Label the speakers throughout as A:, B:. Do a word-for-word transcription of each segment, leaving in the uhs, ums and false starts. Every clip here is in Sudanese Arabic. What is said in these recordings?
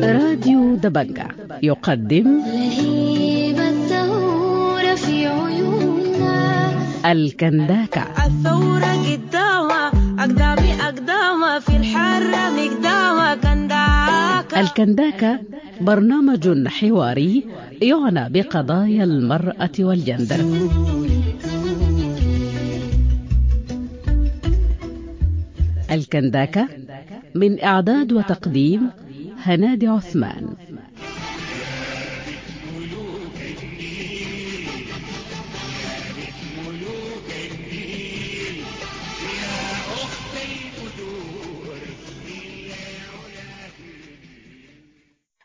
A: راديو دبنجة يقدم
B: لهيب الثورة في عيوننا.
A: الكنداكة.
C: الثورة قدامها أقدامي أقدامها في الحرة مقدامها كنداكة.
A: الكنداكة برنامج حواري يعنى بقضايا المرأة والجندر. الكنداكة من إعداد وتقديم هنادي عثمان.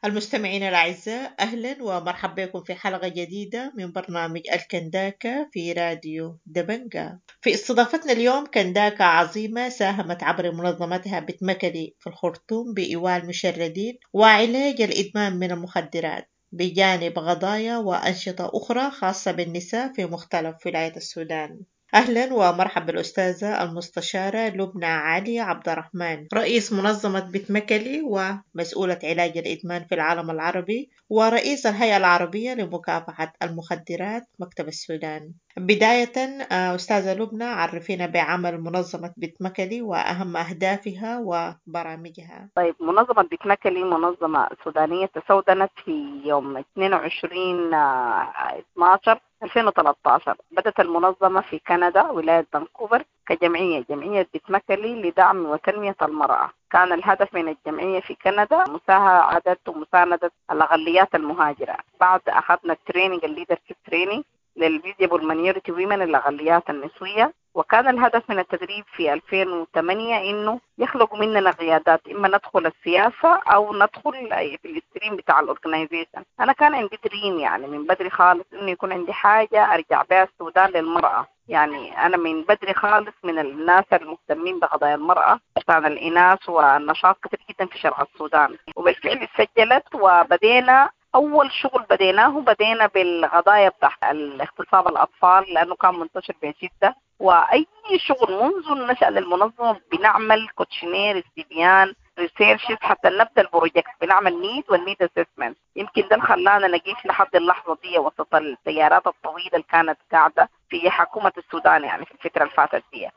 D: المستمعين الأعزاء، أهلا ومرحبا بكم في حلقة جديدة من برنامج الكنداكة في راديو دبنجة. في استضافتنا اليوم كنداكة عظيمة ساهمت عبر منظمتها بتمكلي في الخرطوم بإيواء المشردين وعلاج الإدمان من المخدرات، بجانب قضايا وأنشطة أخرى خاصة بالنساء في مختلف ولايات السودان. أهلا ومرحبا بالأستاذة المستشارة لبنى علي عبد الرحمن، رئيس منظمة بتمكلي ومسؤولة علاج الإدمان في العالم العربي ورئيس الهيئة العربية لمكافحة المخدرات مكتب السودان. بداية أستاذة لبنى، عرفينا بعمل منظمة بتمكلي وأهم أهدافها وبرامجها.
E: طيب، منظمة بتمكلي منظمة سودانية تسودنت في يوم اثنين وعشرين اثناشر ألفين وثلاثة عشر. بدأت المنظمة في كندا ولاية فانكوفر كجمعية، جمعية بتمكلي لدعم وتنمية المرأة. كان الهدف من الجمعية في كندا مساعدة ومساندة الأقليات المهاجرة. بعد أخذنا ال training، ال leadership training لل visible minority women، الأقليات النسوية. وكان الهدف من التدريب في ألفين وثمانية إنه يخلق مننا قيادات، إما ندخل السياسة أو ندخل في ال stream بتاع ال organization. أنا كان عندي dream يعني من بدري خالص إنه يكون عندي حاجة أرجع بها السودان للمرأة. يعني أنا من بدري خالص من الناس المهتمين بقضايا المرأة عشان الإناث والنشاط كتير جدا في شرق السودان، وبالفعل سجلت. وبدينا أول شغل بديناه بدينا بالقضايا بتاع الاغتصاب الأطفال لأنه كان منتشر بشدة. وأي شغل منذ النشأة للمنظمة بنعمل questionnaire، استبيان، researches حتى نبدأ ال project، بنعمل need وال need assessment. يمكن ده اللي خلانا نقيف لحد اللحظة دي وسط التيارات الطويلة اللي كانت قاعدة في حكومة السودان يعني في الفترة اللي فاتت دي.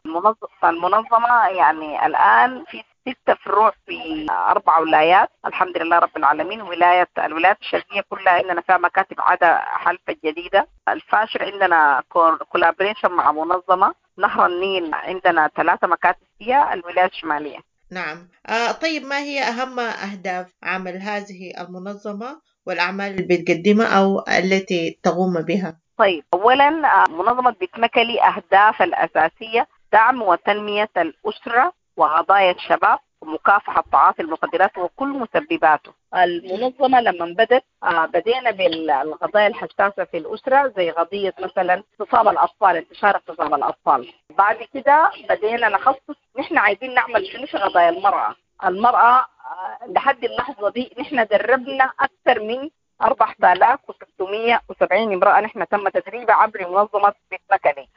E: المنظمة يعني الآن في ستة فروع في أربع ولايات الحمد لله رب العالمين. ولاية الولايات الشرقية كلها عندنا فيها مكاتب عدا حلفة الجديدة. الفاشر عندنا collaboration مع منظمة نهر النيل، عندنا ثلاثة مكاتب فيها الولايات الشمالية.
D: نعم. آه طيب، ما هي أهم أهداف عمل هذه المنظمة والأعمال اللي بتقدمها أو التي تقوم بها؟
E: طيب، أولا منظمة بتمكلي أهداف الأساسية دعم وتنمية الأسرة وقضايا الشباب ومكافحة تعاطي المخدرات وكل مسبباته. المنظمة لما بدت بدينا بالقضايا الحساسة في الأسرة زي قضية مثلا اغتصاب الأطفال، انتشار اغتصاب الأطفال. بعد كده بدينا نخصص نحن عايزين نعمل شنو في قضايا المرأة. المرأة لحد اللحظة دي نحن دربنا أكثر من أربعة آلاف وستمية وسبعين امرأة نحن تم تدريبها عبر منظمة بتمكلي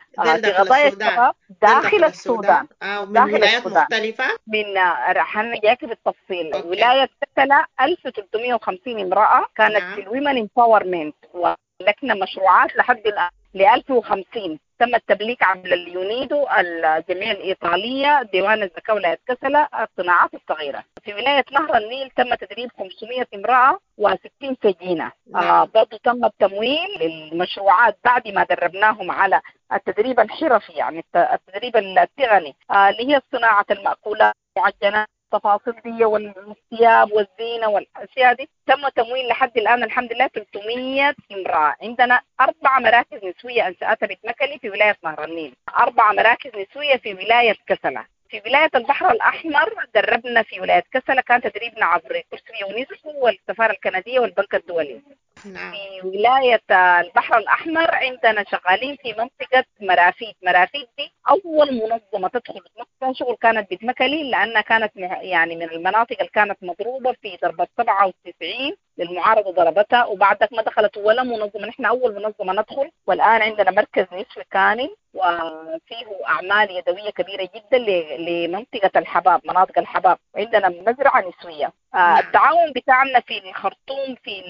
E: في قضايا الشباب داخل السودان.
D: آه، من داخل ولايات السودان. مختلفة
E: من رح جاك بالتفصيل. okay. ولاية كسلا ألف وثلاثمية وخمسين امرأة كانت. نعم. في ال women empowerment، ولكن مشروعات لحد الآن ل ألف وخمسين تم التبليك عبر اليونيدو، الجمعية الإيطالية، ديوان الزكاة ولاية كسلا، الصناعات الصغيرة. في ولاية نهر النيل تم تدريب خمسمية امرأة وستين سجينة. آه برضو تم التمويل للمشروعات بعد ما دربناهم على التدريب الحرفي، يعني التدريب التقني آه اللي هي صناعة المأكولات، المعجنات، التفاصيل دي والثياب والزينة والأشياء دي. تم تمويل لحد الآن الحمد لله ثلاثمية امرأة. عندنا أربع مراكز نسوية أنشأتها بتمكلي في ولاية نهر النيل، أربع مراكز نسوية في ولاية كسلا. في ولاية البحر الأحمر دربنا في ولاية كسلا، كان تدريبنا عبر كرسي يونسكو والسفارة الكندية والبنك الدولي.
D: نعم.
E: في ولاية البحر الأحمر عندنا شغالين في منطقة مرافيد. مرافيد دي أول منظمة تدخل فيها شغل كانت بتمكلي، لأنها كانت يعني من المناطق اللي كانت مضروبة في ضربة سبعة وتسعين للمعارضة ضربتها، وبعدك ما دخلت ولا منظمة. نحن أول منظمة ندخل، والآن عندنا مركز نسوي كامل وفيه أعمال يدوية كبيرة جدا لمنطقة الحباب، مناطق الحباب، وعندنا مزرعة نسوية. آه التعاون بتاعنا في الخرطوم في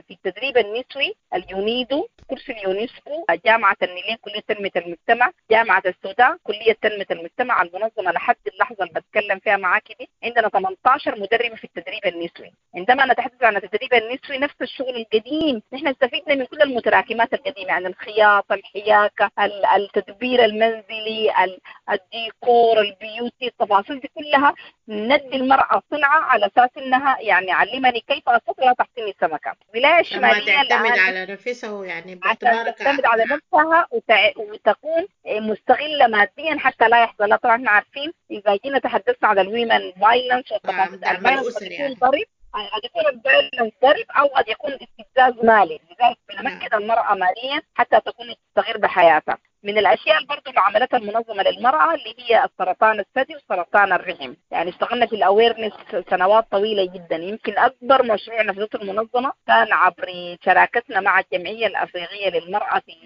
E: في التدريب النسوي، اليونيدو، كرسي اليونسكو، جامعة النيلين كلية تنمية المجتمع، جامعة السودان كلية تنمية المجتمع. المنظمة لحد اللحظة اللي بتكلم فيها معاك دي عندنا ثمانية عشر مدربة في التدريب النسوي. عندما نتحدث عن التدريب النسوي نفس الشغل القديم، نحن استفدنا من كل المتراكمات القديمة، يعني الخياطة، الحياكة، التدبير المنزلي، الديكور، ال beauty، التفاصيل دي كلها ندي المرأة صنعة على أساس إنها يعني علمني كيف أستطيع لا تحطيني سمكة. الولاية الشمالية
D: تعتمد على نفسها، يعني
E: باعتبارك تعتمد على نفسها وتع... وتكون مستغلة ماديا حتى لا يحصل. طبعا احنا عارفين إذا جينا تحدثنا على ال women violence والتفاصيل، ال violence يكون ضرب، قد يكون ال violence ضرب أو قد يكون استفزاز مالي. لذلك بنمكن المرأة ماليا حتى تكون تستغل بحياتها. من الأشياء برضو اللي عملتها المنظمة للمرأة اللي هي السرطان الثدي وسرطان الرحم، يعني اشتغلنا في ال awareness سنوات طويلة جدا. يمكن أكبر مشروع نفذته المنظمة كان عبر شراكتنا مع الجمعية الأفريقية للمرأة في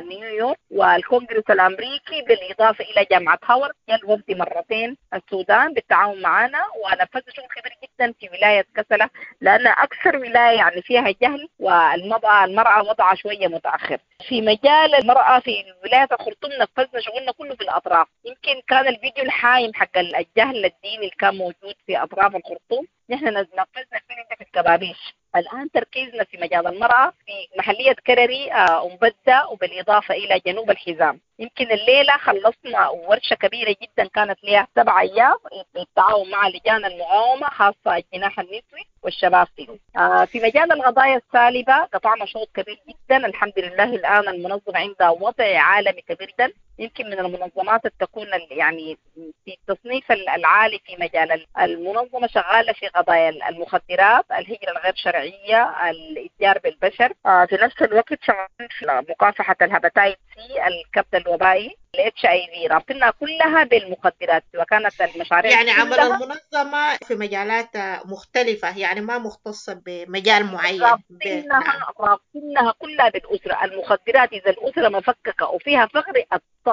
E: نيويورك والكونغرس الأمريكي، بالإضافة إلى جامعة هاورد. جاء الوفد مرتين السودان بالتعاون معنا، ونفذنا شغل كبير جدا في ولاية كسلة، لأن أكثر ولاية يعني فيها جهل والمرأة المرأة وضعها شوية متأخر. في مجال المرأة في ولاية الخرطوم نفذنا شغلنا كله في الأطراف. يمكن كان الفيديو الحايم حق الجهل الديني اللي كان موجود في أطراف الخرطوم، نحن نفذنا الفيديو في الكبابيش. الآن تركيزنا في مجال المرأة في محلية كرري، أم بدة، وبالإضافة إلى جنوب الحزام. يمكن الليلة خلصنا ورشة كبيرة جدا كانت لها سبع أيام بالتعاون مع لجان المقاومة، خاصة الجناح النسوي والشباب فيه. آه في مجال القضايا السالبة قطعنا شوط كبير جدا الحمد لله. الآن المنظمة عندها وضع عالمي كبير جدا، يمكن من المنظمات تكون يعني في التصنيف العالي في مجال المنظمة، شغالة في قضايا المخدرات، الهجرة الغير شرعية، الاتجار بالبشر، آه في نفس الوقت شغالين في مكافحة ال hepatitis C، الكبد الوبائي، ال HIV، رابطنا كلها بالمخدرات. وكانت المشاريع
D: يعني عمل المنظمة في مجالات مختلفة، يعني ما مختصة بمجال معين،
E: رابطينها رابطينها كلها بالأسرة. المخدرات إذا الأسرة مفككة وفيها فقر،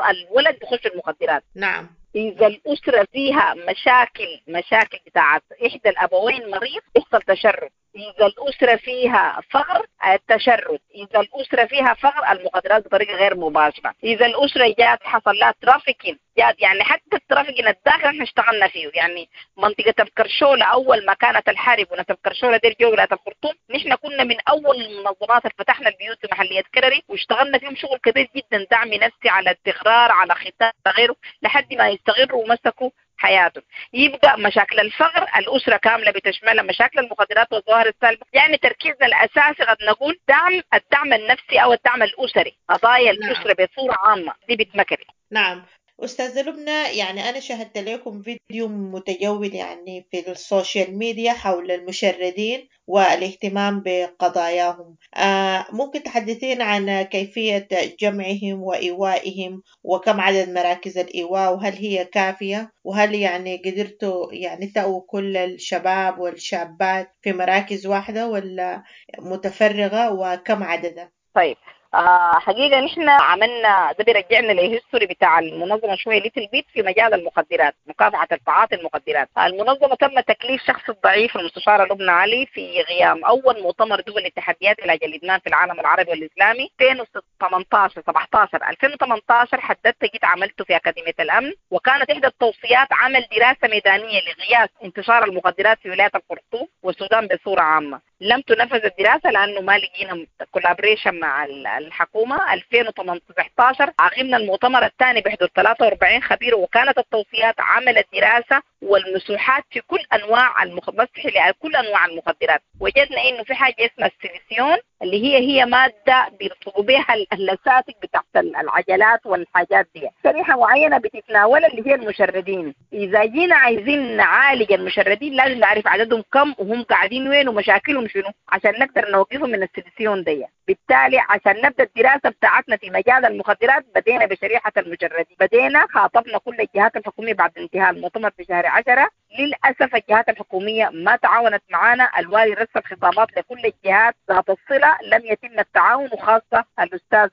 E: الولد بخش المخدرات.
D: نعم.
E: إذا الأسرة فيها مشاكل مشاكل بتاعت إحدى الأبوين مريض، يحصل تشرد. إذا الأسرة فيها فقر، التشرد. إذا الأسرة فيها فقر، المخدرات بطريقة غير مباشرة. إذا الأسرة جات حصل لها trafficking، جات يعني حتى ال trafficking الداخل احنا اشتغلنا فيه. يعني منطقة الكرشولة أول ما كانت الحرب وناس الكرشولة دير جو ولاية الخرطوم، نحن كنا من أول المنظمات اللي فتحنا البيوت في محلية كرري، واشتغلنا فيهم شغل كبير جدا، دعم نفسي على استقرار، على ختان، غيره، لحد ما يستقروا ومسكوا حياتهم. يبقى مشاكل الفقر الأسرة كاملة بتشملها، مشاكل المخدرات والظواهر السالبة. يعني تركيزنا الأساسي قد نقول دعم الدعم النفسي أو الدعم الأسري، قضايا الأسرة بصورة عامة دي بتمكري.
D: نعم أستاذة لبنى، يعني أنا شاهدت لكم فيديو متجول يعني في ال social media حول المشردين والاهتمام بقضاياهم. آه ممكن تحدثين عن كيفية جمعهم وإيوائهم، وكم عدد مراكز الإيواء، وهل هي كافية، وهل يعني قدرتوا يعني تأووا كل الشباب والشابات في مراكز واحدة ولا متفرغة، وكم عددها؟
E: طيب آه حقيقة نحن عملنا ده بيرجعنا لل history بتاع المنظمة شوية little bit في مجال المخدرات، مكافحة التعاطي المخدرات. المنظمة تم تكليف شخص الضعيف المستشارة لبنى علي في غيام أول مؤتمر دول لتحديات علاج الإدمان في العالم العربي والإسلامي ألفين وثمانية عشر سبعة عشر ألفين وثمانية عشر. حددت جيت عملته في أكاديمية الأمن، وكانت إحدى التوصيات عمل دراسة ميدانية لقياس انتشار المخدرات في ولاية الخرطوم والسودان بصورة عامة. لم تنفذ الدراسة لأنه ما لقينا collaboration مع الحكومة. ألفين وثمانية عشر عقمنا المؤتمر الثاني بحضور ثلاثة وأربعين خبير، وكانت التوصيات عمل الدراسة والمسوحات في كل أنواع المخ... مسح لكل أنواع المخدرات. وجدنا إنه في حاجة اسمها السيليسيون اللي هي هي مادة بيلصقوا بها اللساتك بتاعت العجلات والحاجات دي. شريحة معينة بتتناولها اللي هي المشردين. اذا جينا عايزين نعالج المشردين لازم نعرف عددهم كم وهم قاعدين وين ومشاكلهم شنو عشان نقدر نوقفهم من السلسيون دي. بالتالي عشان نبدا الدراسة بتاعتنا في مجال المخدرات بدينا بشريحه المشردين، بدينا خاطبنا كل الجهات الحكومية بعد انتهاء المؤتمر في شهر عشرة. للاسف الجهات الحكومية ما تعاونت معنا، الوالي رسل خطابات لكل الجهات ذات الصلة لم يتم التعاون، وخاصة الاستاذ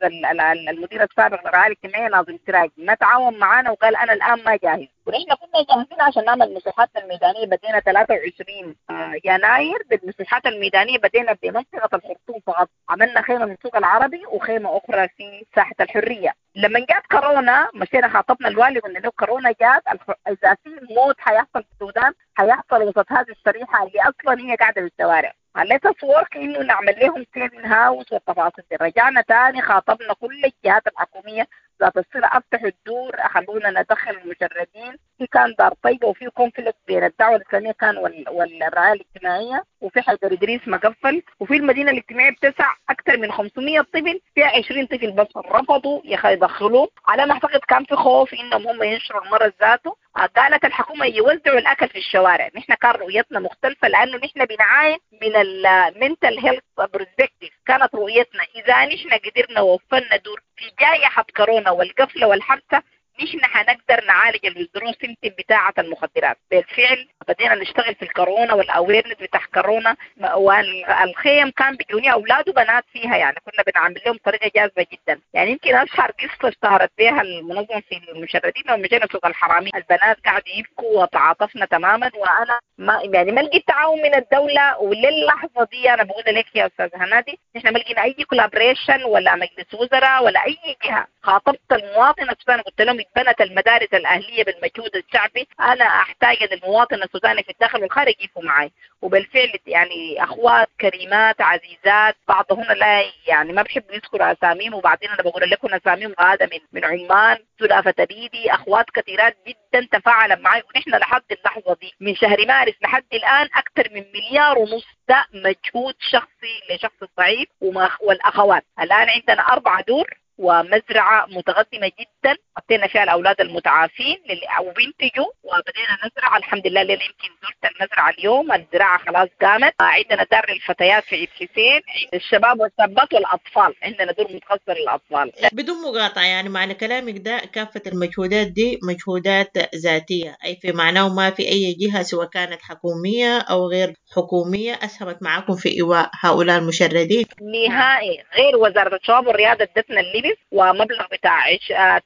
E: المدير السابق للرعاية الاجتماعية ناظم سراج ما تعاون معنا وقال انا الان ما جاهز، ونحن كنا جاهزين عشان نعمل مساحاتنا الميدانية. بدينا ثلاثة وعشرين يناير بالمساحات الميدانية، بدينا بمنطقة الخرطوم فقط، عملنا خيمة من السوق العربي وخيمة اخرى في ساحة الحرية. لما جات كورونا مشينا خاطبنا الوالي قلنا له كورونا جات، اذا في موت حيحصل في السودان حيحصل وسط هذه الشريحة اللي اصلا هي قاعدة في الشوارع. let us work انه نعمل لهم saving house والتفاصيل دي. رجعنا تاني خاطبنا كل الجهات الحكومية ذات الصلة، افتحوا الدور خلونا ندخل المشردين. في كان دار طيبة وفي conflict بين الدعوة الاسلامية كان والرعاية الاجتماعية، وفي حيدر ادريس مقفل، وفي المدينة الاجتماعية بتسع اكثر من خمسمية طفل فيها عشرين طفل بس رفضوا يدخلوه. على ما اعتقد كان في خوف انهم هم ينشروا المرض ذاته. قالت الحكومة يوزعوا الاكل في الشوارع. نحن كان رؤيتنا مختلفة لانه نحن بنعاين من ال mental health perspective. كانت رؤيتنا اذا نحن قدرنا ووفرنا دور في جائحة كورونا والقفله والحبسه نحن حنقدر نعالج ال withdrawal symptom بتاعه المخدرات. بالفعل بدينا نشتغل في الكورونا وال awareness بتاع كورونا، والخيم كان بيجوني اولاد وبنات فيها، يعني كنا بنعمل لهم طريقه جاذبة جدا. يعني يمكن اشهر قصة اشتهرت بها المنظمة في المشردين لما مشينا سوق الحرامي، البنات قاعدوا يبكوا وتعاطفنا تماما، وانا ما يعني ما لقيت تعاون من الدولة. وللحظه دي انا بقول لك يا استاذ هنادي نحن ما لقينا اي collaboration ولا مجلس وزراء ولا اي جهة. خاطبت المواطن السوداني قلت لهم اتبنت المدارس الاهلية بالمجهود الشعبي، انا احتاج ان المواطن السوداني في الداخل والخارج يقفوا معي. وبالفعل يعني اخوات كريمات عزيزات بعضهن لا يعني ما بحب يذكروا اساميهم، وبعدين انا بقول لكم اساميهم غاده من من عمان، سلافه تبيدي، اخوات كثيرات جدا تفاعلا معي. ونحن لحد اللحظة دي من شهر مارس لحد الان اكثر من مليار ونص، ده مجهود شخصي لشخص الضعيف والاخوات. الان عندنا اربع دور ومزرعة متقدمة جدا حطينا فيها الأولاد المتعافين وبينتجوا، وبدينا نزرع الحمد لله. الليلة يمكن زرت المزرعة اليوم، الزراعة خلاص قامت. عندنا دار للفتيات في عيد حسين، الشباب والشابات والأطفال، عندنا دور متخصص للأطفال.
D: بدون مقاطعة يعني معنى كلامك ده كافة المجهودات دي مجهودات ذاتية، أي في معناه ما في أي جهة سواء كانت حكومية أو غير حكومية أسهمت معكم في إيواء هؤلاء المشردين
E: نهائي، غير وزارة الشباب والرياضة ادتنا اللبس ومبلغ بتاع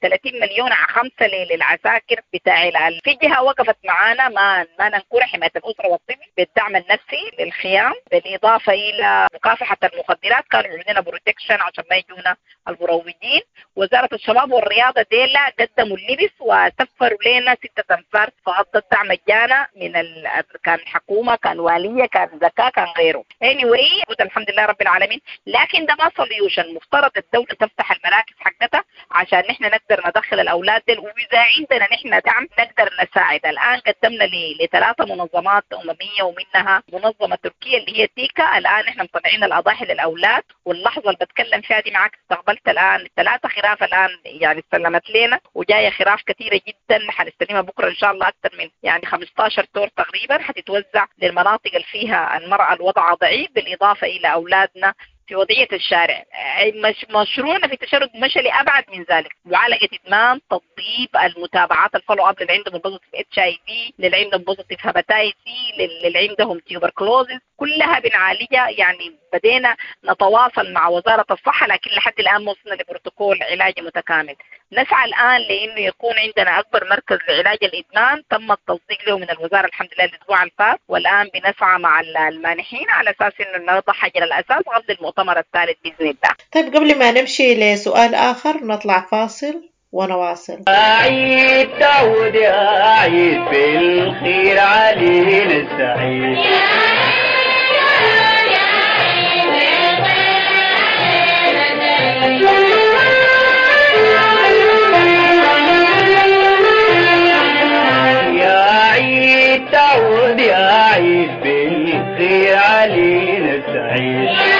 E: ثلاثين مليون على خمسة للعساكر بتاع. في جهة وقفت معانا ما ما ننكر، حماية الاسرة والطفل بالدعم النفسي للخيام، بالاضافة الى مكافحة المخدرات كانوا عندنا protection عشان ما يجونا المروجين. وزارة الشباب والرياضة ديلا قدموا اللبس وسفروا لنا ستة انفار فقط الدعم مجانا من ال... كان حكومة كان واليه كان زكاة كان غيره. anyway الحمد لله رب العالمين. لكن ده ما solution، مفترض الدولة تفتح المراكز حقتها عشان نحن نقدر ندخل الاولاد دول، واذا عندنا نحن دعم نقدر نساعد. الان قدمنا لثلاثة منظمات امميه ومنها منظمة تركيه اللي هي تيكا. الان نحن مطلعين الاضاحي للاولاد، واللحظة اللي بتكلم فيها دي معك استقبلت الان ثلاثة خراف الان يعني استلمت لنا، وجاية خراف كثيرة جدا حنستلمها بكره ان شاء الله، اكثر من يعني خمسة عشر تور تقريبا حتتوزع للمناطق اللي فيها المراة الوضع ضعيف، بالاضافة الى اولادنا في وضعية الشارع. مش مشروعنا في التشرد مشى لأبعد من ذلك، معالجة إدمان، تطبيب، المتابعات ال follow up للي عندهم positive HIV، للي عندهم positive hepatitis C، للي عندهم tuberculosis، كلها بنعالجها. يعني بدينا نتواصل مع وزارة الصحة، لكن لحد الآن ما وصلنا لبروتوكول علاجي متكامل. نسعى الآن لأنه يكون عندنا أكبر مركز لعلاج الإدمان، تم التصديق له من الوزارة الحمد لله الأسبوع الفات، والآن بنسعى مع المانحين على أساس إنه نضع حجر الأساس قبل المؤتمر الثالث بإذن الله.
D: طيب قبل ما نمشي لسؤال آخر نطلع فاصل ونواصل.
F: عيد تعود يا عيد بالخير علينا السعيد. يا عيد تعود يا عيد بالخير علينا السعيد.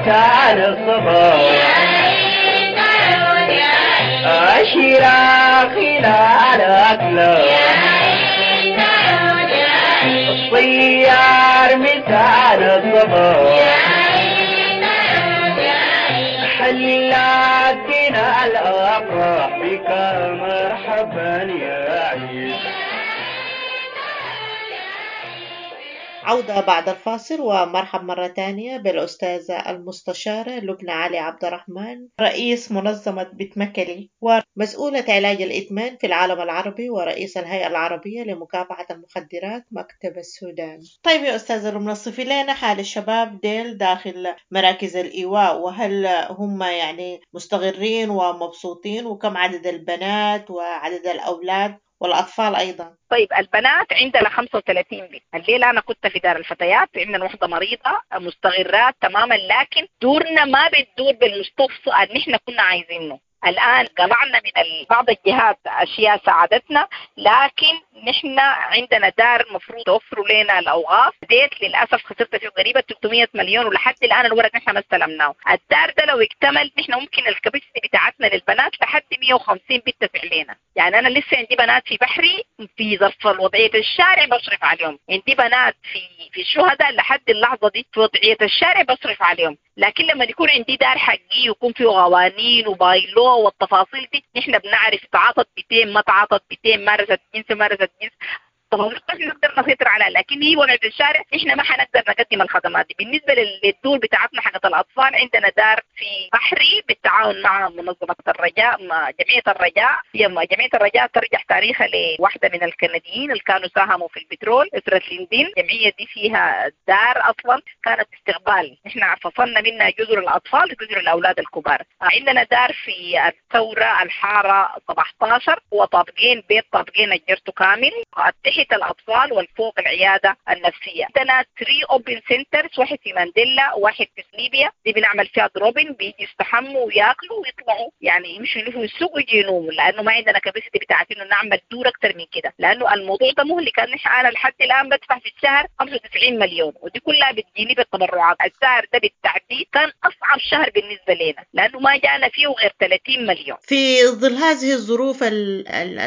F: مساء الصباح أشيرا خلال أكله الطيار مساء الصباح حلاتنا الأفراح بك مرحبا يا عيد.
D: عودة بعد الفاصل، ومرحب مرة تانية بالأستاذة المستشارة لبنى علي عبد الرحمن، رئيس منظمة بتمكلي ومسؤولة علاج الإدمان في العالم العربي ورئيس الهيئة العربية لمكافحة المخدرات مكتب السودان. طيب يا أستاذة لبنى، صفي لنا حال الشباب ديل داخل مراكز الإيواء، وهل هم يعني مستقرين ومبسوطين، وكم عدد البنات وعدد الأولاد والأطفال أيضا؟
E: طيب البنات عندنا خمسة وثلاثين بنت. الليلة أنا كنت في دار الفتيات، عندنا وحدة مريضة، مستغرات تماما، لكن دورنا ما بتدور بالمستوصف اللي نحن كنا عايزينه. الآن قلعنا من بعض الجهات أشياء ساعدتنا، لكن نحن عندنا دار مفروض توفروا لنا الأوقاف. ديت للأسف خسرت فيه قريبة ثلاثمية مليون، ولحد الآن الورق نحن ما استلمناه. الدار ده لو اكتمل نحن ممكن ال capacity بتاعتنا للبنات لحد مية وخمسين بنت فعلينا. يعني أنا لسه عندي بنات في بحري في ظرف وضعية الشارع بصرف عليهم، عندي بنات في في الشهداء لحد اللحظة دي في وضعية الشارع بصرف عليهم. لكن لما يكون عندي دار حقي ويكون فيه قوانين و bylaw والتفاصيل دي، نحن بنعرف تعاطت بتين ما تعاطت بتين، مارست جنس مارست جنس، تفاصيل نقدر نسيطر عليها. لكن هي وضعية الشارع نحن ما حنقدر نقدم الخدمات دي. بالنسبة للدور بتاعتنا حقت الأطفال، عندنا دار في بحري بالتعاون مع منظمة الرجاء، مع جمعية الرجاء. هي جمعية الرجاء ترجع تاريخها لواحدة من الكنديين اللي كانوا ساهموا في البترول، أسرة ليندين. الجمعية دي فيها دار أصلا كانت استقبال، نحن فصلنا منها جزر الأطفال وجزر الأولاد الكبار. عندنا دار في الثورة الحارة سبعة عشر، هو طابقين، بيت طابقين أجرته كامل، تحت الأطفال والفوق العيادة النفسية. عندنا ثلاثة open centers، واحد في مانديلا وواحد في ليبيا، دي بنعمل فيها drop-in، بيجي يستحموا وياكلوا ويطلعوا، يعني يمشوا يلفوا السوق ويجي ينوموا، لأنه ما عندنا capacity بتاعت إنه نعمل دور أكتر من كده، لأنه الموضوع ده مهلك. أنا لحد الآن بدفع في الشهر خمسة وتسعين مليون، ودي كلها بتجيني بالتبرعات. الشهر ده بالتعديد كان أصعب شهر بالنسبة لنا، لأنه ما جانا فيه غير ثلاثين مليون.
D: في ظل هذه الظروف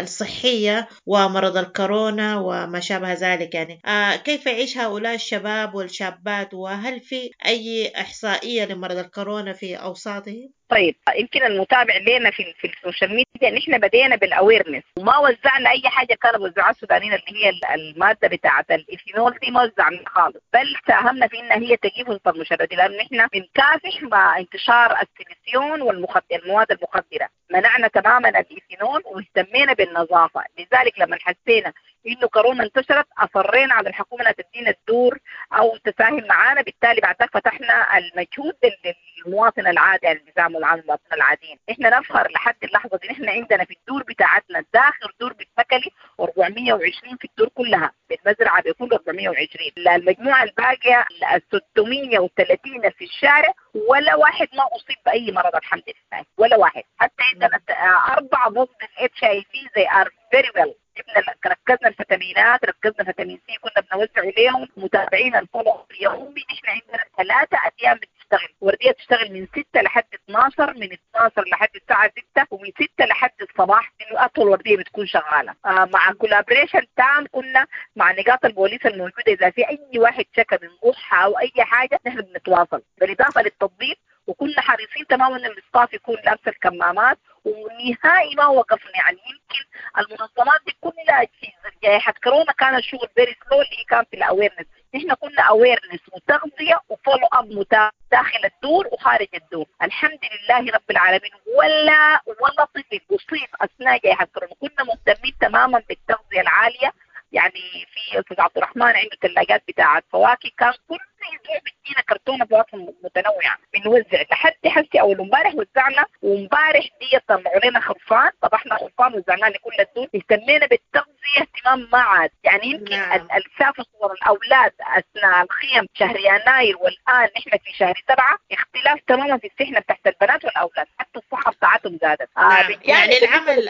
D: الصحية ومرض الكورونا وما شابه ذلك، يعني آه كيف يعيش هؤلاء الشباب والشابات، وهل في أي إحصائية لمرض الكورونا في أوساطهم؟
E: طيب يمكن المتابع لنا في في ال social media نحن بدينا بال awareness، وما وزعنا اي حاجة كانوا بيوزعوها السودانيين اللي هي المادة بتاعه الايثينول دي، ما وزعنا خالص، بل ساهمنا في انها هي تجيب وسط المشردين، لان نحن بنكافح مع انتشار السيليسيون والمخدر المواد المخدره، منعنا تماما الايثينول واهتمينا بالنظافة. لذلك لما حسينا انه كورونا انتشرت اصرينا على الحكومة انها تدينا الدور او تساهم معانا، بالتالي بعد ذلك فتحنا المجهود للمواطن العادي، يعني النظام العام المواطنين العاديين. احنا نفخر لحد اللحظة دي نحن عندنا في الدور بتاعتنا داخل دور بتمكلي أربعمية وعشرين في الدور كلها، بالمزرعه بيكون أربعمية وعشرين، المجموعة الباقية ستمية وثلاثين في الشارع، ولا واحد ما اصيب باي مرض الحمد لله، ولا واحد. حتى عندنا اربعة positive HIV they are very well. جبنا ركزنا الفيتامينات، ركزنا فيتامين سي كنا بنوزع عليهم، متابعين ال follow يومي. نحن عندنا ثلاثة ايام بتشتغل، وردية تشتغل من ستة لحد اثناشر، من اثناشر لحد الساعة ستة، ومن ستة لحد الصباح، انه اطول وردية بتكون شغالة. آه مع collaboration تام كنا مع نقاط البوليس الموجودة، اذا في اي واحد شكى من قحه او اي حاجة نحن بنتواصل، بالاضافة للتطبيق. وكنا حريصين تماما ان ال staff يكون لابس الكمامات، ونهائي ما وقفنا. يعني يمكن المنظمات دي كلها في جائحة كورونا كان الشغل very slow اللي كان في ال awareness، نحن كنا awareness وتغذية و follow up متابعه داخل الدور وخارج الدور. الحمد لله رب العالمين ولا ولا طفل اصيب اثناء جائحة كورونا. كنا مهتمين تماما بالتغذية العالية، يعني في استاذ عبد الرحمن عنده ثلاجات بتاعه فواكه، كان كل اسبوع بيدينا كرتونة فواكه متنوعة بنوزع. لحد حسي اول امبارح وزعنا، وامبارح دي طلعوا لنا خرفان، طبحنا خرفان وزعناه لكل الدول. اهتمينا بالتغذية اهتمام ما عاد، يعني يمكن نعم. السافر صور الاولاد اثناء الخيم شهر يناير والان نحن في شهر سبعة، اختلاف تماما في السحنه بتاعت البنات والاولاد، حتى الصحة بتاعتهم زادت.
D: نعم. آه يعني العمل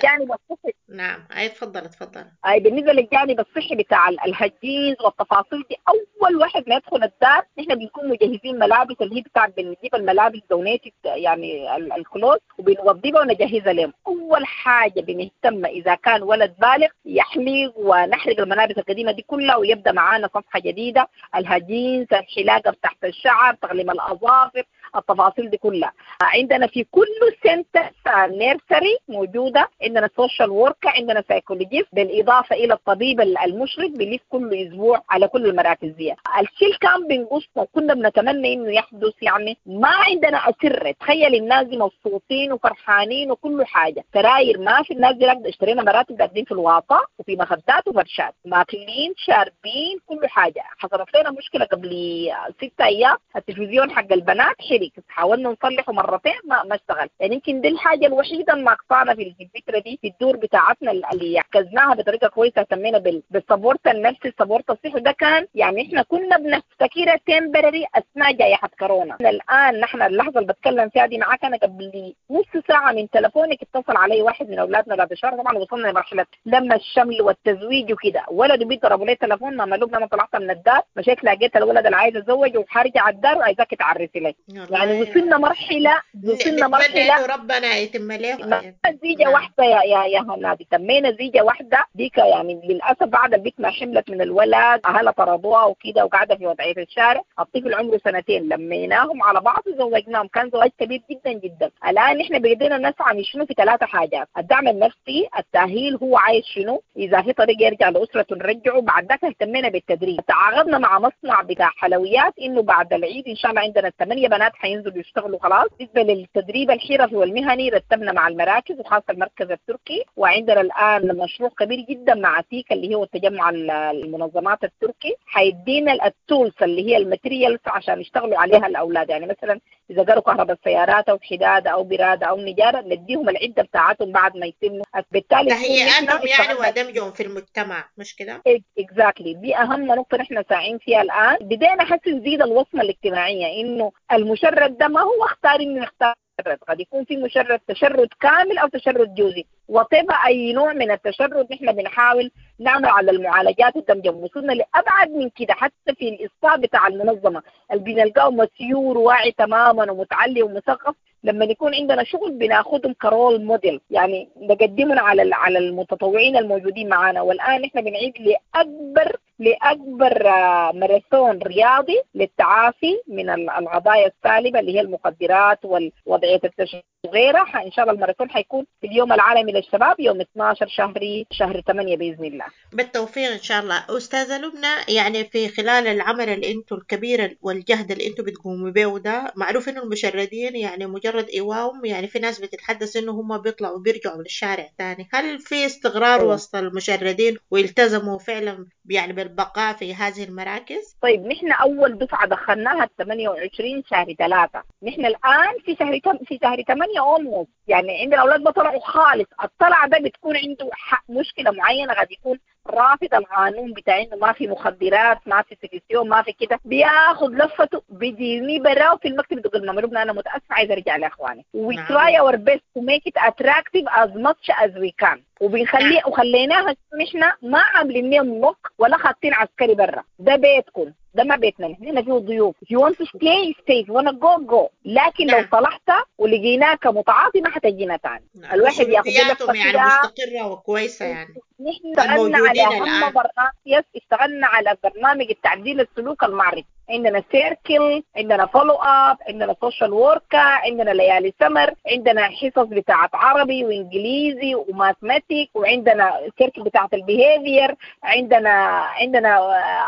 D: نعم، أي تفضل تفضل.
E: أي بالنسبة للجانب الصحي بتاع ال hygiene والتفاصيل دي، أول واحد ما يدخل الدار نحن بنكون مجهزين ملابس اللي هي بتاع، بنجيب الملابس donated يعني ال clothes وبنوضبها ونجهزها لهم. أول حاجة بنهتم إذا كان ولد بالغ يحلق ونحرق الملابس القديمة دي كلها ويبدأ معانا صفحة جديدة، ال hygiene، الحلاقة تحت الشعر، تقليم الأظافر، التفاصيل دي كلها. عندنا في كل center nursery موجودة، عندنا social worker، عندنا psychologist، بالإضافة إلى الطبيب المشرف بيلف كل أسبوع على كل المراكز دي. الشيء كان بنقصنا وكنا بنتمنى إنه يحدث، يعني ما عندنا أسرة. تخيل الناس دي مبسوطين وفرحانين وكل حاجة، سراير ما في، الناس دي اشترينا مراتب قاعدين في الواطة وفي مخدات وفرشات، ماكلين شاربين كل حاجة. حصلت لنا مشكلة قبل ستة أيام، التلفزيون حق البنات حرق، حاولنا نصلحه مرتين ما ما اشتغل. يعني يمكن دي الحاجة الوحيدة الناقصانا في الفترة دي في الدور بتاعتنا اللي عكزناها بطريقة كويسة، اهتمينا بال support النفسي، ال support الصحي. ده كان يعني احنا كنا بنفتكرها temporary اثناء جائحة كورونا. الان نحن اللحظة اللي بتكلم فيها دي معاك انا قبل نص ساعة من تلفونك اتصل علي واحد من اولادنا بعد شهر، طبعا وصلنا لمرحلة لما الشمل والتزويج وكده، ولده بيضربوا لي تلفون ماما لبنى انا طلعت من الدار مشيت لقيت الولد اللي عايز اتزوج وحرجع الدار وعايزاك تعرسي لي. يعني وصلنا مرحلة وصلنا مرحلة
D: ربنا يتم له
E: زيجه واحدة يا يا يا هنادي، تمينا زيجه واحدة ديك يعني للاسف بعد البيت ما حملت من الولد اهلها طردوها وكده وقاعدة في وضعية الشارع. الطفل عمره سنتين، لميناهم على بعض وزوجناهم، كان زواج كبير جدا جدا. الان احنا بدينا نسعى شنو في ثلاثة حاجات: الدعم النفسي، التاهيل هو عايز شنو، اذا في طريقه يرجع لاسرته نرجعه. بعد ذاك اهتمينا بالتدريب، تعاقدنا مع مصنع بتاع حلويات انه بعد العيد ان شاء الله عندنا ثمانية بنات حينزلوا يشتغلوا خلاص. بالنسبة للتدريب الحرفي والمهني رتبنا مع المراكز وخاصة المركز التركي، وعندنا الان مشروع كبير جدا مع تيكا اللي هو التجمع المنظمات التركي، حيدينا ال tools اللي هي ال materials عشان يشتغلوا عليها الاولاد. يعني مثلا اذا قروا كهرباء السيارات او حداده او براده او نجاره نديهم العدة بتاعتهم بعد ما يتموا. بالتالي
D: تهيئتهم يعني ودمجهم في المجتمع، مش كده؟
E: exactly، دي اهم نقطة نحن ساعين فيها الان. بدينا حس نزيد الوصمة الاجتماعية انه المشرد ده ما هو اختار انه يختار مشرد، قد يكون في مشرد تشرد كامل او تشرد جزئي، وطبعا اي نوع من التشرد نحن بنحاول نعمل على المعالجات والدمج. وصلنا لابعد من كده حتى في الاصلاح بتاع المنظمة اللي بنلقاه mature واعي تماما ومتعلم ومثقف، لما يكون عندنا شغل بناخدهم ك role model، يعني نقدمهم على على المتطوعين الموجودين معنا. والان احنا بنعيد لاكبر لاكبر ماراثون رياضي للتعافي من القضايا السالبه اللي هي المخدرات ووضعيه التشرد وغيرها. ان شاء الله الماراثون حيكون في اليوم العالمي للشباب يوم اثناشر شهري شهر ثمانية باذن الله.
D: بالتوفيق ان شاء الله. استاذه لبنى، يعني في خلال العمل اللي انتم الكبير والجهد اللي انتم بتقوموا به ده، معروف انه المشردين يعني مجرد ايواهم، يعني في ناس بتتحدث انه هم بيطلعوا بيرجعوا للشارع تاني، هل في استقرار أوه. وسط المشردين ويلتزموا فعلا يعني بالبقاء في هذه المراكز؟
E: طيب نحن اول دفعه دخلناها ثمانية وعشرين شهر ثلاثة، نحن الان في شهر في شهر ثمانية almost، يعني عندنا الاولاد بطلعوا خالص. الطلعة ده بتكون عنده مشكلة معينة، قد يكون رافض القانون بتاع انه ما في مخدرات، ما في سكسيون، ما في كده، بياخذ لفته بيجيني براه في المكتب بيقول لنا لبنى انا متاسف عايز ارجع لاخواني. we try our best to make it attractive as much as we can، وبنخليه وخليناها نحن ما عاملين لهم lock ولا خاطين عسكري برا، ده بيتكم، ده ما بيتنا، نحن فيه ضيوف، if you want to stay stay، if you wanna go go، لكن لو طلعت ولقيناك متعاطي ما حتجينا تاني. الواحد ياخذ
D: لفته يعني مستقرة وكويسة. يعني
E: نحن اشتغلنا على اهم برنامج، اشتغلنا على برنامج التعديل السلوك المعرفي، عندنا circle، عندنا follow up، عندنا social worker، عندنا ليالي سمر، عندنا حصص بتاعت عربي وانجليزي و mathematic، وعندنا circle بتاعت ال behavior، عندنا عندنا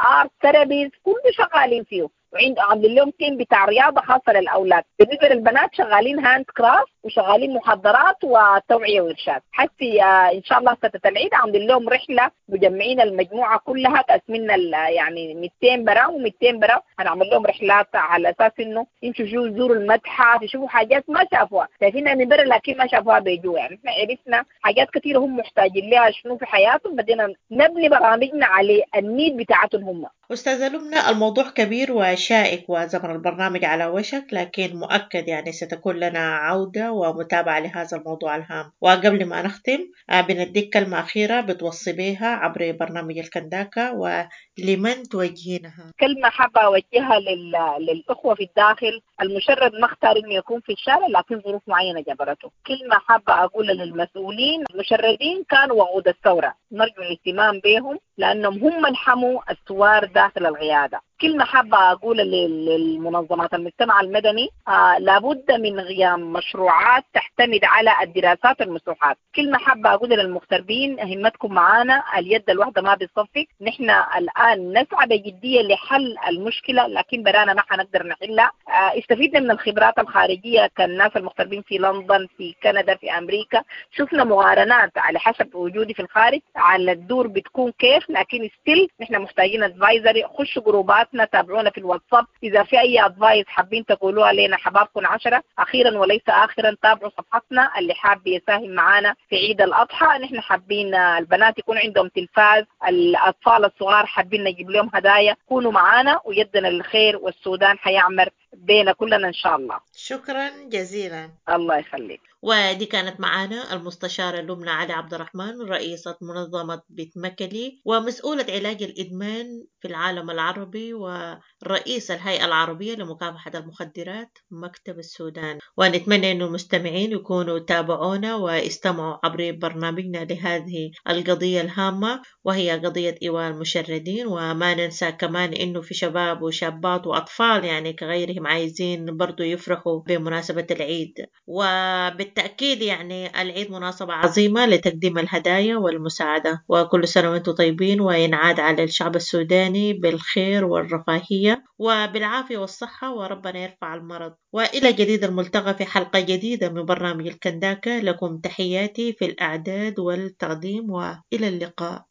E: art therapies، كله شغالين فيه. وعند عاملين لهم team بتاع رياضة خاصة للاولاد. بالنسبة للبنات شغالين handcraft وشغالين محاضرات وتوعيه وارشاد. حتى ان شاء الله فترة العيد عاملين لهم رحله مجمعين المجموعة كلها، قاسمين يعني مئتين برا ومئتين برا، هنعمل لهم رحلات على اساس انه يمشوا يزوروا المتحف، يشوفوا حاجات ما شافوها، شايفينها من برا لكن ما شافوها بيجوا. يعني احنا عرفنا حاجات كثيرة هم محتاجين لها شنو في حياتهم، بدينا نبني برامجنا على ال need بتاعتهم هم.
D: أستاذة لبنى، الموضوع كبير شائك وزمن البرنامج على وشك، لكن مؤكد يعني ستكون لنا عودة ومتابعة لهذا الموضوع الهام. وقبل ما نختم بنديك كلمة أخيرة بتوصي بها عبر برنامج الكنداكا ولمن توجهينها.
E: كلمة حابة أوجهها لل... للأخوة في الداخل، المشرد ما اختار إنه يكون في الشارع لكن ظروف معينة جبرته. كلمة حابة أقولها للمسؤولين، المشردين كانوا وقود الثورة، نرجو الاهتمام بهم لأنهم هم اللي حموا الثوار داخل القيادة. كلمة حابة أقولها للمنظمات المجتمع المدني، آه لابد من قيام مشروعات تعتمد على الدراسات المسوحات. كلمة حابة أقولها للمغتربين، همتكم معانا، اليد الواحدة ما بتصفق. نحن الآن نسعى بجدية لحل المشكلة لكن برانا ما حنقدر نحلها. آه استفدنا من الخبرات الخارجية كالناس المغتربين في لندن، في كندا، في أمريكا، شفنا مقارنات على حسب وجودي في الخارج على الدور بتكون كيف، لكن still نحن محتاجين advisory. خشوا جروبات، تابعونا في الواتساب، إذا في أي advice حابين تقولوها لنا حبابكم عشرة. أخيرا وليس آخرا، تابعوا صفحتنا، اللي حاب يساهم معانا في عيد الأضحى، نحن حابين البنات يكون عندهم تلفاز، الأطفال الصغار حابين نجيب لهم هدايا، كونوا معانا ويدنا الخير والسودان حيعمر بينا كلنا إن شاء الله.
D: شكرا جزيلا،
E: الله يخليك.
D: ودي كانت معانا المستشارة لبنى علي عبد الرحمن، رئيسة منظمة بيت مكلي ومسؤولة علاج الإدمان في العالم العربي ورئيس الهيئة العربية لمكافحة المخدرات مكتب السودان. ونتمنى أن المستمعين يكونوا تابعونا واستمعوا عبر برنامجنا لهذه القضية الهامة، وهي قضية إيواء المشردين. وما ننسى كمان أنه في شباب وشابات وأطفال يعني كغيرهم عايزين برضو يفرحوا بمناسبة العيد، وبالتأكيد يعني العيد مناسبة عظيمة لتقديم الهدايا والمساعدة. وكل سنة وانتم طيبين، وينعاد على الشعب السوداني بالخير والرفاهية وبالعافية والصحة، وربنا يرفع المرض. وإلى جديد الملتقى في حلقة جديدة من برنامج الكنداكا. لكم تحياتي في الأعداد والتقديم، وإلى اللقاء.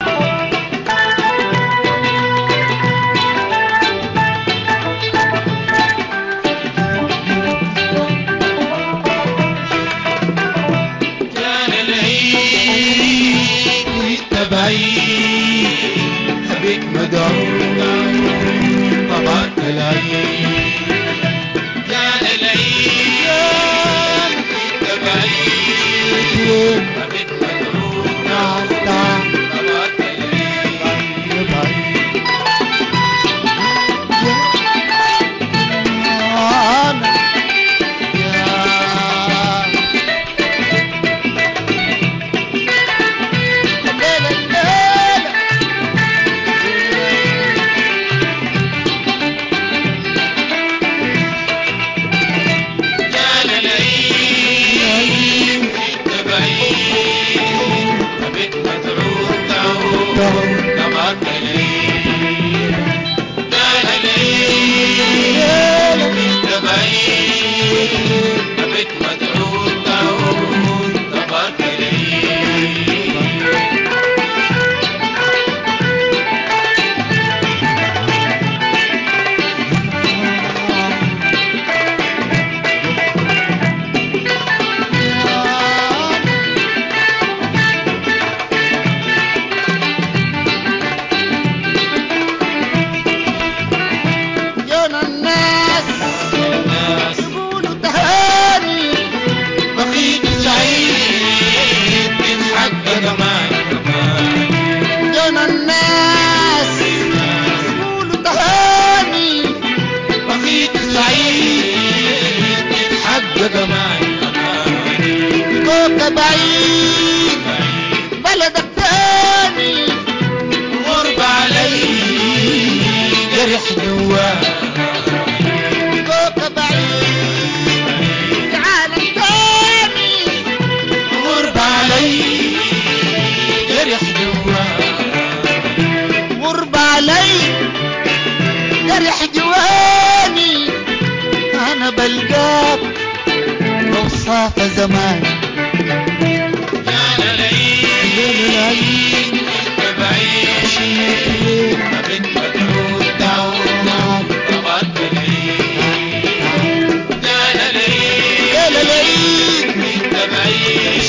G: بك مدعو طبعت العيد، كان العيد تبعيد بك مدعو طبعت العيد.
H: زمان
G: كان العيد
H: العيد
G: بعيد ما بتمدعو تعود طبعت العيد كان العيد
H: كان العيد
G: بعيد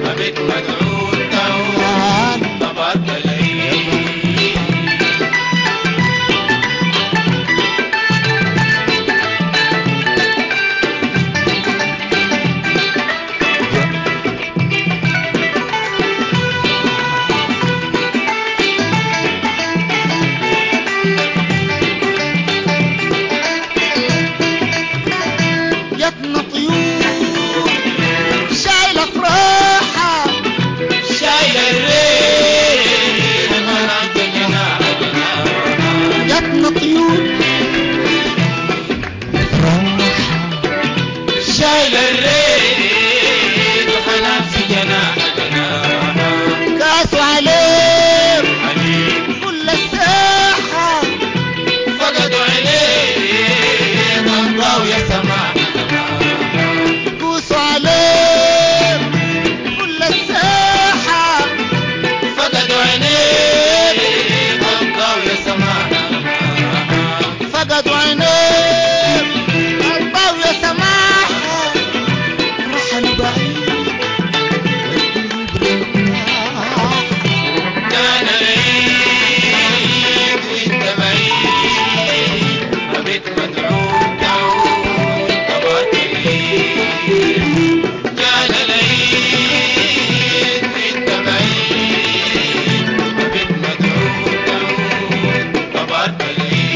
G: ما بتمدعو تعود طبعت العيد. شايل الريد وحنان في جناح جناحه
H: كاسوا عليه
G: عليك
H: كل الساحة
G: فقدوا عليه ضربوا يا سماحة سماحة
H: كوسوا عليه كل الساحة
G: فقدوا عينيه ضربوا يا سماحة سماحة
H: فقدوا عينيه قلبه يا سماحة رحلوا بعيد والدروب رتاحة
G: كان العيد وانت بعيد أبيت مدعو تعود طبعت العيد كان العيد وانت بعيد أبيت مدعو تعود طبعت العيد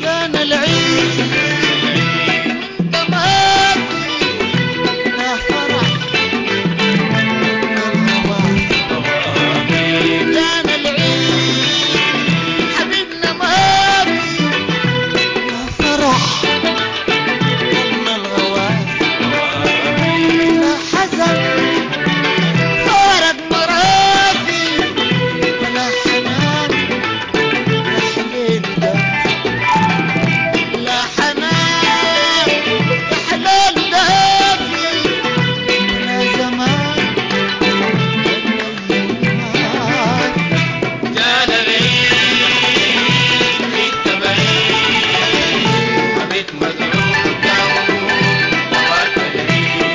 H: كان العيد وانت ماشي لا فرح ولا هوى كان العيد حبيبنا ماشي لا فرح ولا الغواسي لا حزن فارق مراسي ولا حنان يا حليل ده لا حنان يا حلال دافي ولا زمان ولا
G: كان العيد وانت بعيد أبيت مدعو تعود طبعت العيد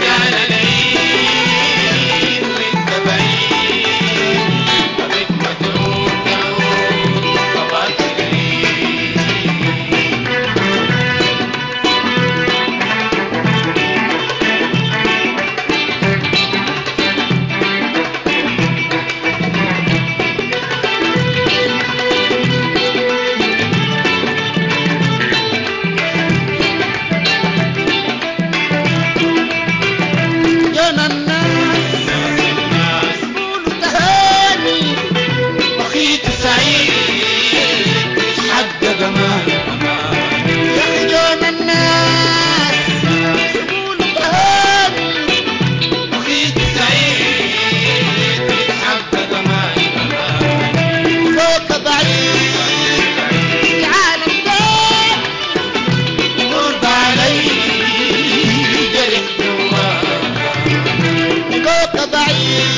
G: كان العيد وانت بعيد أبيت مدعو تعود طبعت العيد
H: يا الناس
G: الناس
H: قولوا تهاني
G: بخيت سعيد حق جمال
H: يا خجان الناس قولوا تهاني
G: بخيت سعيد حق جمال
H: فوق بعيد العالم تاني
G: غرب علي جرح جواه
H: فوق بعيد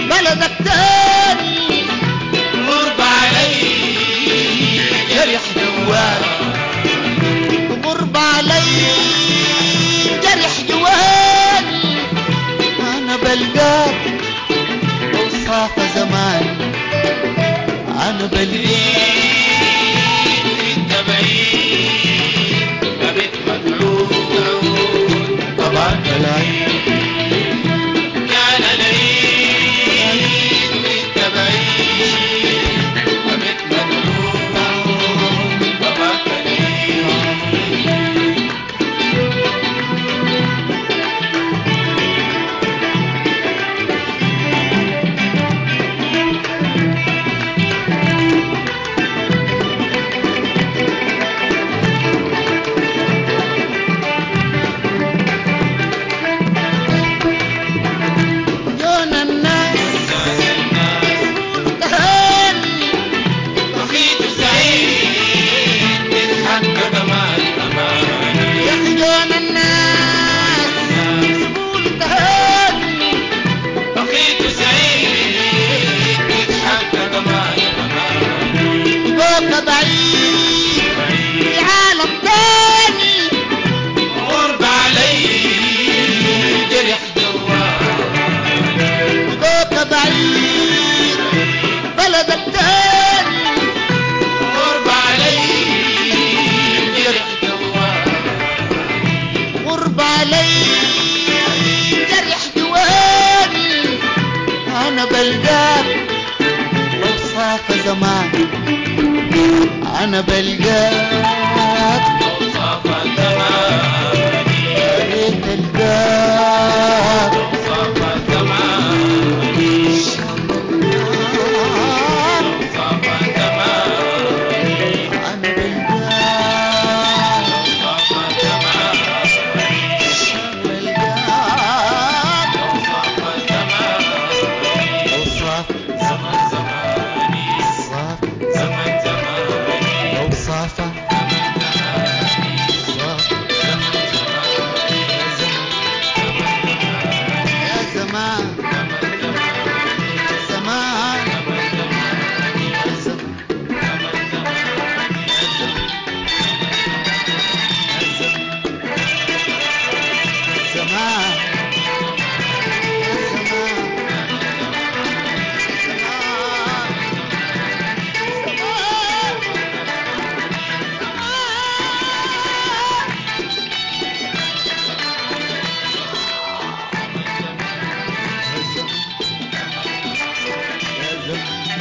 H: بلدك تاني
G: غرب علي جرح جواه
H: غرب علي جرح جواني انا بلقاك اوصاف زمان انا بلقاك
G: انت بعيد أبيت مدعو تعود طبعا العيد كان العيد وانت بعيد أبيت مدعو تعود طبعا العيد
H: جونا الناس
G: الناس الناس
H: قولوا تهاني
G: بخيت سعيد تتحقق جمال أماني
H: يا خجان الناس قولوا تهاني
G: بخيت سعيد تتحقق جمال أماني
H: فوق بعيد العالم تاني
G: غرب علي جرح جواه
H: فوق بعيد بلدك تاني
G: غرب علي جرح جواه
H: غرب علي جرح جواني انا بلقاك لو أنا بلقاك يا ريت ألقاك أنا بلقاك بلقاك لو صاف صاف لو صافة صاف يا زمان زمان يا زمان زمان يا زمان زمان يا زمان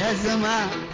H: يا زمان